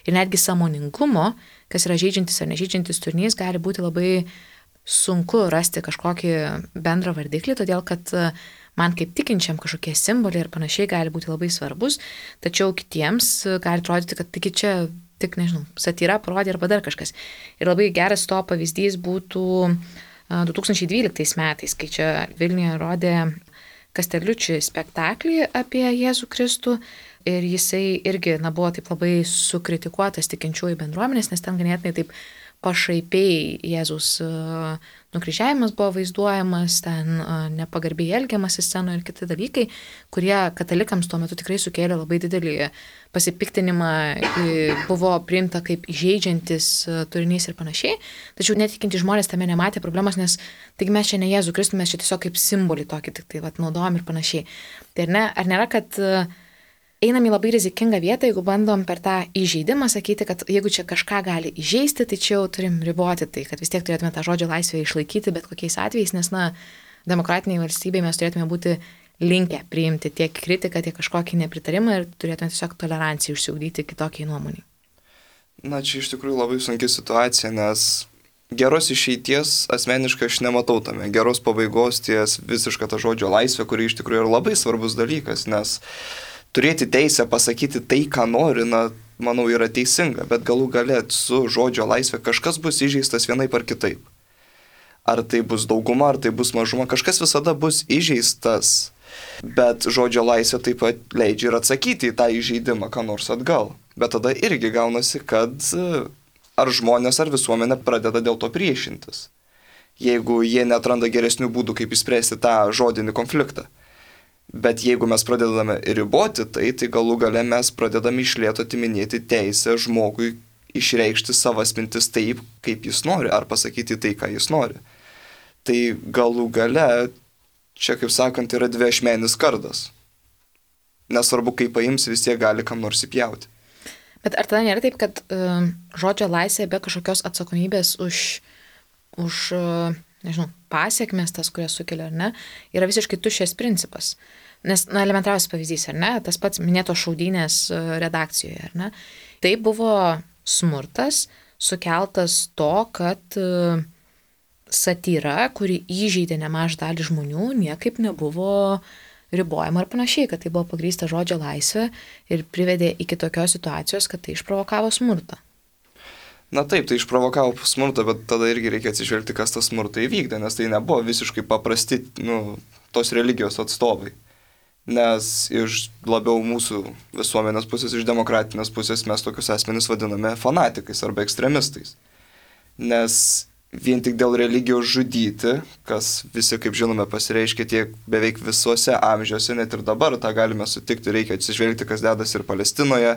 Speaker 1: Ir netgi sąmoningumo, kas yra žeidžiantis ar nežeidžiantis turinys, gali būti labai sunku rasti kažkokį bendrą vardiklį, todėl kad man kaip tikinčiam kažkokie simboliai ir panašiai gali būti labai svarbus, tačiau kitiems gali atrodyti, kad tik čia, tik, nežinau, satyra parodė arba dar kažkas. Ir labai geras to pavyzdys būtų du tūkstančiai dvyliktais metais, kai čia Vilniuje rodė Kasterliuči spektaklį apie Jėzų Kristų ir jisai irgi, na, buvo taip labai sukritikuotas tikinčiųjų bendruomenės, nes ten ganėtinai taip pašaipiai Jėzus nukryžiavimas buvo vaizduojamas, ten nepagarbiai elgiamasi scenoje ir kiti dalykai, kurie katalikams tuo metu tikrai sukėlė labai didelį pasipiktinimą, buvo priimta kaip įžeidžiantis turinys ir panašiai, tačiau netikinti žmonės tame nematė problemos, nes taigi mes čia ne Jėzų Kristų, mes čia tiesiog kaip simbolį tokį tik tai vat, naudojam ir panašiai. Tai ar, ne, ar nėra, kad einam į labai rizikingą vietą, jeigu bandom per tą įžeidimą sakyti, kad jeigu čia kažką gali įžeisti, tai čia jau turim riboti tai, kad vis tiek turėtume tą žodžio laisvę išlaikyti bet kokiais atvejais, nes, na, demokratiniai valstybei mes turėtume būti linkę priimti tiek kritiką, tiek kažkokį nepritarimą ir turėtume tiesiog toleranciją užsiugdyti kitokiai nuomonei.
Speaker 3: Na, čia iš tikrųjų labai sunki situacija, nes geros išeities asmeniškai aš nematau tame. Geros pabaigos ties visiška ta žodžio laisvė, kuri iš tikrųjų yra labai svarbus dalykas, nes turėti teisę pasakyti tai, ką nori, na, manau, yra teisinga, bet galų gale su žodžio laisvė kažkas bus įžeistas vienaip ar kitaip. Ar tai bus dauguma, ar tai bus mažuma, kažkas visada bus įžeistas, bet žodžio laisvė taip pat leidžia ir atsakyti į tą įžeidimą, ką nors atgal. Bet tada irgi gaunasi, kad ar žmonės, ar visuomenė pradeda dėl to priešintis, jeigu jie neatranda geresnių būdų, kaip išspręsti tą žodinį konfliktą. Bet jeigu mes pradedame riboti tai, tai galų gale mes pradedame iš lėto atiminėti teisę žmogui išreikšti savas mintis taip, kaip jis nori, ar pasakyti tai, ką jis nori. Tai galų gale, čia kaip sakant, yra dviašmenis kardas. Nesvarbu, kaip paims, vis tiek gali kam nors įpjauti.
Speaker 1: Bet ar tada nėra taip, kad uh, žodžio laisvė be kažkokios atsakomybės už, už uh, nežinau, pasiekmes tas, kurias sukelia, ar ne, yra visiškai tuščias principas. Nes, na, elementariausias pavyzdys, ar ne, tas pats minėtos šaudynės redakcijoje, ar ne, tai buvo smurtas sukeltas to, kad uh, satyra, kuri įžeidė nemažą dalį žmonių, niekaip nebuvo ribojama ar panašiai, kad tai buvo pagrįsta žodžio laisvė ir privedė iki tokios situacijos, kad tai išprovokavo smurtą.
Speaker 3: Na taip, tai išprovokavo smurtą, bet tada irgi reikia atsižvelgti, kas tą smurtą įvykdė, nes tai nebuvo visiškai paprasti, nu, tos religijos atstovai. Nes iš labiau mūsų visuomenės pusės, iš demokratinės pusės mes tokius asmenis vadiname fanatikais arba ekstremistais. Nes vien tik dėl religijos žudyti, kas visi, kaip žinome, pasireiškia tiek beveik visuose amžiuose, net ir dabar tą galime sutikti, reikia atsižvelgti, kas dedasi ir Palestinoje,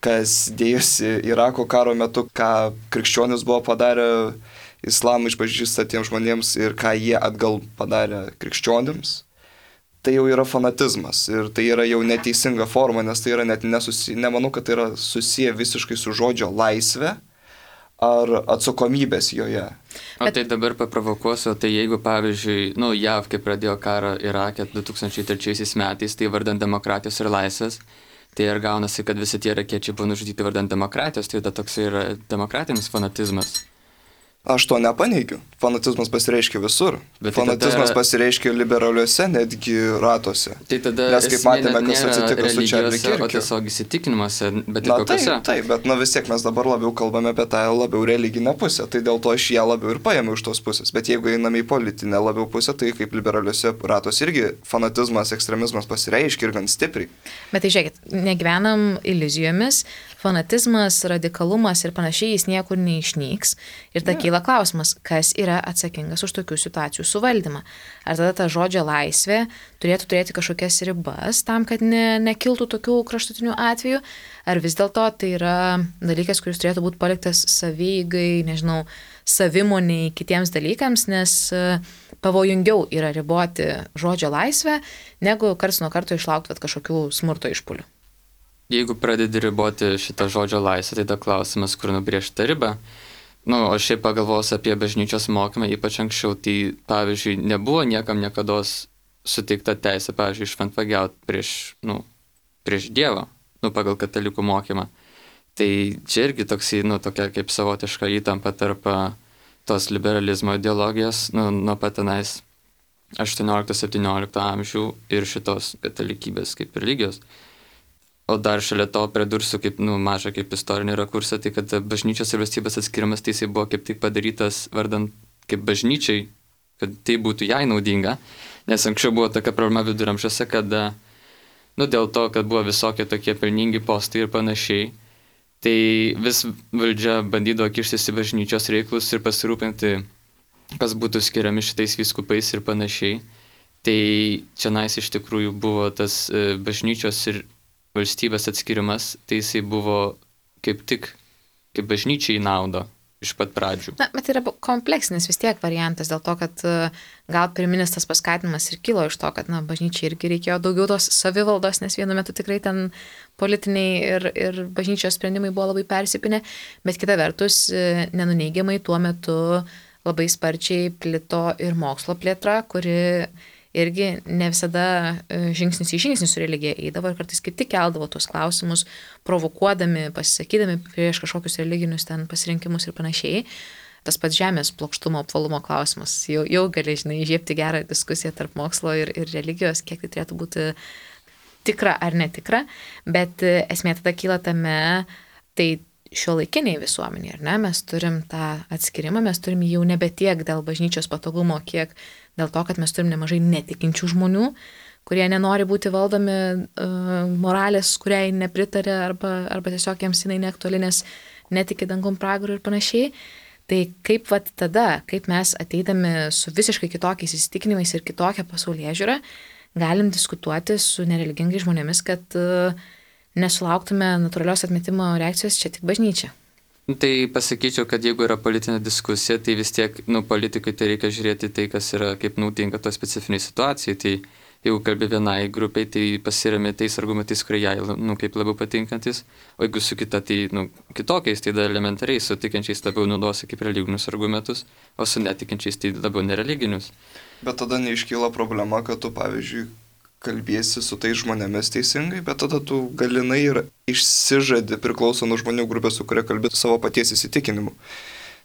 Speaker 3: kas dėjosi Irako karo metu, ką krikščionis buvo padarę islamą išpažįstatiems žmonėms ir ką jie atgal padarė krikščionims. Tai jau yra fanatizmas ir tai yra jau neteisinga forma, nes tai yra net nesusiję, nemanau, kad tai yra susiję visiškai su žodžio laisvė ar atsakomybės joje.
Speaker 2: O tai dabar paprovokuosiu, tai jeigu, pavyzdžiui, nu, J A V, kai pradėjo karą Irake du tūkstančiai trečiaisiais metais, tai vardant demokratijos ir laisvės, tai ir gaunasi, kad visi tie irakiečiai buvo nužudyti vardant demokratijos, tai tada toks yra demokratinis fanatizmas.
Speaker 3: Aš to nepaneigiu. Fanatizmas pasireiškia visur.
Speaker 2: Bet tai
Speaker 3: Fanatizmas
Speaker 2: tada-
Speaker 3: pasireiškia liberaliuose netgi ratuose.
Speaker 2: Tai tada
Speaker 3: Nes kaip
Speaker 2: esmė
Speaker 3: matėme,
Speaker 2: net
Speaker 3: kas
Speaker 2: nėra
Speaker 3: atsitiko su Čarli
Speaker 2: religijose, o
Speaker 3: Kirkiu.
Speaker 2: tiesiog įsitikinimuose, bet ir
Speaker 3: Na
Speaker 2: kokiuose.
Speaker 3: taip, taip, bet na vis tiek mes dabar labiau kalbame apie tą labiau religinę pusę, tai dėl to aš ją labiau ir paėmiau iš tos pusės. Bet jeigu einame į politinę labiau pusę, tai kaip liberaliuose ratuose irgi fanatizmas, ekstremizmas pasireiškia ir gan stipriai.
Speaker 1: Bet tai žiūrėkit, negyvenam iliuzijomis, fanatizmas, radikalumas ir panašiai jis niekur neišnyks. Ir ta kyla klausimas, kas yra atsakingas už tokių situacijų suvaldymą. Ar tada ta žodžio laisvė turėtų turėti kažkokias ribas tam, kad ne, nekiltų tokių kraštutinių atvejų, ar vis dėlto tai yra dalykas, kuris turėtų būti paliktas savygai, nežinau, savimoniai, kitiems dalykams, nes e, pavojingiau yra riboti žodžio laisvę, negu karts nuo karto išlaukti vat kažkokių smurto išpuolių.
Speaker 2: Jeigu pradedi riboti šitą žodžio laisvę, tai tada klausimas, kur nubrėžti tą ribą. Nu, o šiaip pagalvos apie bažnyčios mokymą, ypač anksčiau, tai pavyzdžiui, nebuvo niekam niekados suteikta teisė, pavyzdžiui, šventvagiauti prieš, nu, prieš Dievą, nu, pagal katalikų mokymą. Tai čia irgi toksai, nu, tokia kaip savotiška įtampa tarp a, tos liberalizmo ideologijos, nu, nuo pat tenais aštuoniolikto septyniolikto amžių ir šitos katalikybės kaip religijos. O dar šalia to pridursiu kaip, nu, mažą kaip istorinį rakursą, tai kad bažnyčios ir valstybės atskirimas tai jisai buvo kaip tik padarytas vardant kaip bažnyčiai, kad tai būtų jai naudinga, nes anksčiau buvo tokia problema viduramžiuose, kad, nu, dėl to, kad buvo visokie tokie pelningi postai ir panašiai, tai vis valdžia bandydavo kištis į bažnyčios reikalus ir pasirūpinti, kas būtų skiriami šitais vyskupais ir panašiai. Tai čianais iš tikrųjų buvo tas bažnyčios ir valstybės atskirimas, tai jisai buvo kaip tik, kaip bažnyčiai naudo iš pat pradžių.
Speaker 1: Na, bet tai yra kompleksinis vis tiek variantas, dėl to, kad gal pirminis tas paskatinimas ir kilo iš to, kad, na, bažnyčiai irgi reikėjo daugiau tos savivaldos, nes vienu metu tikrai ten politiniai ir, ir bažnyčios sprendimai buvo labai persipinę, bet kita vertus, nenuneigiamai tuo metu labai sparčiai plito ir mokslo plėtra, kuri irgi ne visada žingsnis į žingsnį su religija eidavo ir kartais kaip tik keldavo tuos klausimus, provokuodami, pasisakydami prieš kažkokius religinius ten pasirinkimus ir panašiai. Tas pats žemės plokštumo, apvalumo klausimas. Jau, jau gali, žinai, įžiebti gerą diskusiją tarp mokslo ir, ir religijos, kiek tai turėtų būti tikra ar netikra, bet esmė tada kyla tame, tai šiuolaikiniai visuomeniai, ar ne, mes turim tą atskirimą, mes turim jau nebe tiek dėl bažnyčios patogumo, kiek dėl to, kad mes turim nemažai netikinčių žmonių, kurie nenori būti valdomi uh, moralės, kuriai nepritarė arba, arba tiesiog jiems jinai neaktuali, nes netiki dangum pragaru ir panašiai. Tai kaip vat tada, kaip mes ateidami su visiškai kitokiais įsitikinimais ir kitokią pasaulėžiūrą, galim diskutuoti su nereligingais žmonėmis, kad uh, nesulauktume natūralios atmetimo reakcijos čia tik bažnyčia.
Speaker 2: Tai pasakyčiau, kad jeigu yra politinė diskusija, tai vis tiek, nu, politikai tai reikia žiūrėti tai, kas yra kaip naudinga to specifiniai situacijai. Tai jeigu kalbi vienai grupiai, tai pasiremi tais argumentais, kurie jai, nu, kaip labiau patinkantis, o jeigu su kita, tai, nu, kitokiais, tai dar elementariai, su tikinčiais labiau naudosi kaip religinius argumentus, o su netikinčiais tai labiau nereliginius.
Speaker 3: Bet tada neiškyla problema, kad tu, pavyzdžiui, kalbėsi su tais žmonėmis teisingai, bet tada tu galinai ir išsižadi priklauso nuo žmonių grupės, su kuria kalbėti savo paties įsitikinimu.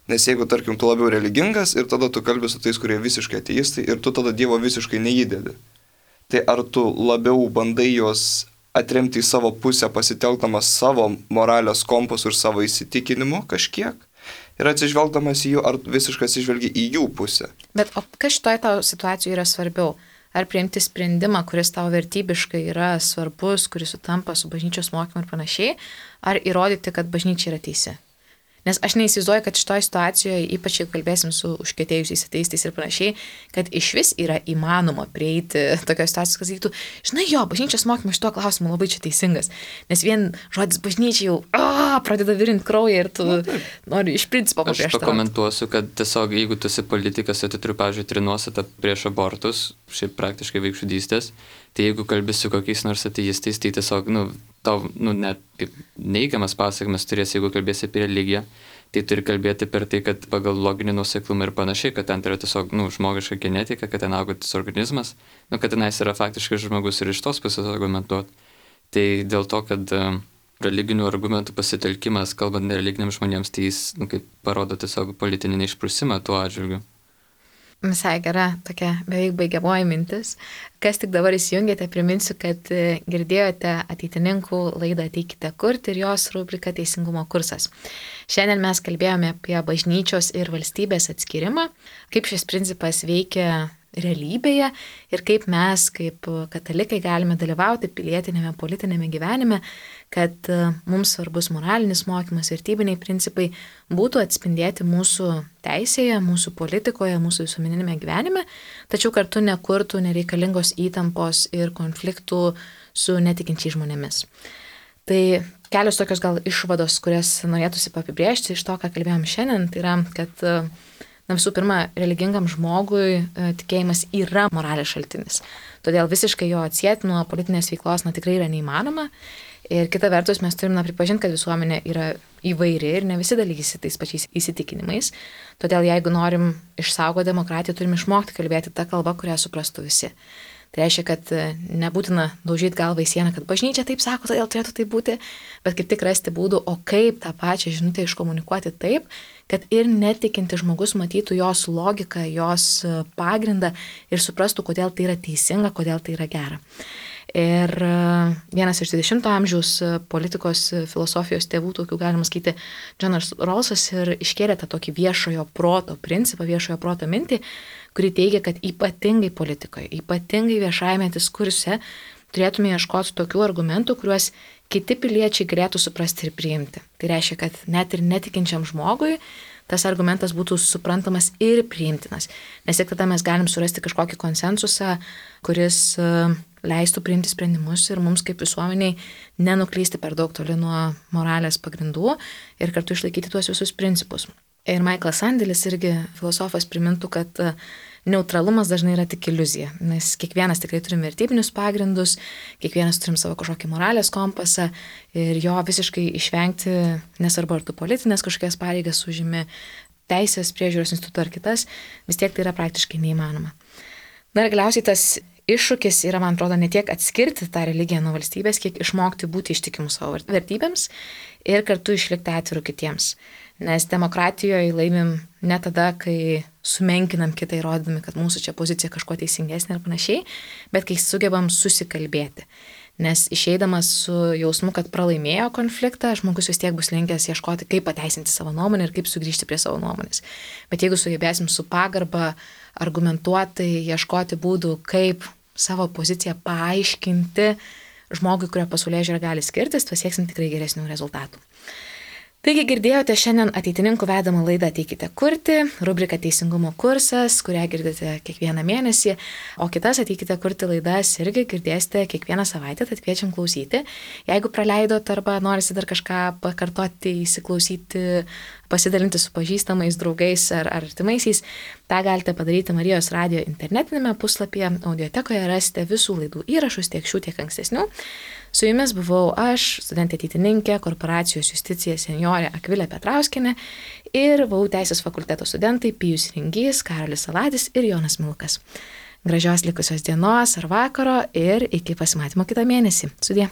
Speaker 3: Nes jeigu, tarkim, tu labiau religingas ir tada tu kalbė su tais, kurie visiškai ateistai ir tu tada Dievo visiškai neįdedi. Tai ar tu labiau bandai juos atremti į savo pusę, pasitelkdamas savo moralės kompasų ir savo įsitikinimu kažkiek ir atsižvelgdamas į jų, ar visiškai atsižvelgi į jų pusę?
Speaker 1: Bet o kas šitoje tavo situacijoje yra svarbiau? Ar priimti sprendimą, kuris tau vertybiškai yra svarbus, kuris sutampa su bažnyčios mokymu ir panašiai, ar įrodyti, kad bažnyčia yra teisi? Nes aš neįsivaizduoju, kad šitoje situacijoje, ypač jeigu kalbėsim su užkietėjusiais ateistais ir panašiai, kad iš vis yra įmanoma prieiti tokios situacijos, kad sakytų, žinai, jo, bažnyčios mokymas šituo klausimu labai čia teisingas. Nes vien žodis bažnyčia jau a, pradeda virinti kraują ir tu nori iš principo paprieštarauti.
Speaker 2: Aš pakomentuosiu, kad tiesiog jeigu tu esi politikas, tai tu turi, pavyzdžiui, trinuostatą prieš abortus, šiaip praktiškai vaikžudystės, tai jeigu kalbi su kokiais nors ateistais, tai tiesiog, nu, tau, nu, net kaip neigiamas pasakymas turės, jeigu kalbėsi apie religiją, tai turi kalbėti per tai, kad pagal loginį nuoseklumą ir panašiai, kad ten yra tiesiog, nu, žmogiška genetika, kad ten augantis organizmas, nu, kad tenais yra faktiškai žmogus ir iš tos pusės argumentuoti. Tai dėl to, kad religinių argumentų pasitelkimas, kalbant nereliginiams žmonėms, tai jis, nu, kaip parodo tiesiog politinį neišprusimą tuo atžvilgiu.
Speaker 1: Visai gera tokia beveik baigiamoji mintis. Kas tik dabar įsijungėte, priminsiu, kad girdėjote ateitininkų laidą Ateikite kurti ir jos rubriką Teisingumo kursas. Šiandien mes kalbėjome apie bažnyčios ir valstybės atskirimą, kaip šis principas veikia realybėje ir kaip mes, kaip katalikai, galime dalyvauti pilietinėme, politinėme gyvenime, kad mums svarbus moralinis mokymas, vertybiniai principai būtų atspindėti mūsų teisėje, mūsų politikoje, mūsų visuomeninėme gyvenime, tačiau kartu nekurtų nereikalingos įtampos ir konfliktų su netikinčiais žmonėmis. Tai kelios tokios gal išvados, kurias norėtųsi apibrėžti iš to, ką kalbėjom šiandien, tai yra, kad na, visų pirma, religingam žmogui tikėjimas yra moralės šaltinis. Todėl visiškai jo atsieti nuo politinės veiklos na, tikrai yra neįmanoma. Ir kita vertus, mes turime pripažinti, kad visuomenė yra įvairi ir ne visi dalykisi tais pačiais įsitikinimais. Todėl jeigu norim išsaugoti demokratiją, turime išmokti kalbėti tą kalbą, kurią suprastų visi. Tai reiškia, kad nebūtina daužyti galvą į sieną, kad bažnyčia taip sako, todėl turėtų tai būti, bet kaip tik rasti būdų, o kaip tą pačią žinutę iškomunikuoti taip, kad ir netikinti žmogus matytų jos logiką, jos pagrindą ir suprastų, kodėl tai yra teisinga, kodėl tai yra gera. Ir vienas iš dvidešimto amžiaus politikos filosofijos tėvų, tokių galima sakyti, Džonas Rawlsas ir iškėlė tą tokį viešojo proto principą, viešojo proto mintį, kuri teigia, kad ypatingai politikoje, ypatingai viešajame diskurse turėtume ieškoti tokių argumentų, kuriuos kiti piliečiai galėtų suprasti ir priimti. Tai reiškia, kad net ir netikinčiam žmogui tas argumentas būtų suprantamas ir priimtinas. Nes tik tada mes galim surasti kažkokį konsensusą, kuris leistų priimti sprendimus ir mums kaip visuomeniai nenuklysti per daug toli nuo moralės pagrindų ir kartu išlaikyti tuos visus principus. Ir Michaelas Sandelis irgi filosofas primintų, kad neutralumas dažnai yra tik iliuzija, nes kiekvienas tikrai turim vertybinius pagrindus, kiekvienas turim savo kažkokį moralės kompasą ir jo visiškai išvengti, nesvarbu ar tu politinės kažkokias pareigas užimi, teisės priežiūros instituto ar kitas, vis tiek tai yra praktiškai neįmanoma. Na ir galiausiai tas iššūkis yra, man atrodo, ne tiek atskirti tą religiją nuo valstybės, kiek išmokti būti ištikimu savo vertybėms ir kartu išlikti atviru kitiems. Nes demokratijoje laimim ne tada, kai sumenkinam kitą įrodydami, kad mūsų čia pozicija kažkuo teisingesnė ir panašiai, bet kai sugebam susikalbėti. Nes išeidamas su jausmu, kad pralaimėjo konfliktą, žmogus vis tiek bus linkęs ieškoti, kaip pateisinti savo nuomonę ir kaip sugrįžti prie savo nuomonės. Bet jeigu sugebėsim su pagarba argumentuotai ieškoti būdų, kaip savo poziciją paaiškinti žmogui, kurio pasaulėžiūra gali skirtis, pasieksim tikrai geresnių rezultatų. Taigi girdėjote šiandien ateitininkų vedamą laidą Ateikite kurti, rubrika Teisingumo kursas, kurią girdite kiekvieną mėnesį, o kitas Ateikite kurti laidas irgi girdėsite kiekvieną savaitę, tad kviečiam klausyti. Jeigu praleidot arba norisi dar kažką pakartoti, įsiklausyti, pasidalinti su pažįstamais, draugais ar artimaisiais, tą galite padaryti Marijos radijo internetinėme puslapyje, audiotekoje rasite visų laidų įrašus, tiek šių, tiek ankstesnių. Su jumis buvau aš, studentė ateitininkė, korporacijos justicija senjorė Akvilė Petrauskienė ir V A U Teisės fakulteto studentai Pijus Ringys, Karolis Saladis ir Jonas Milkas. Gražios likusios dienos ar vakaro ir iki pasimatymo kitą mėnesį. Sudie.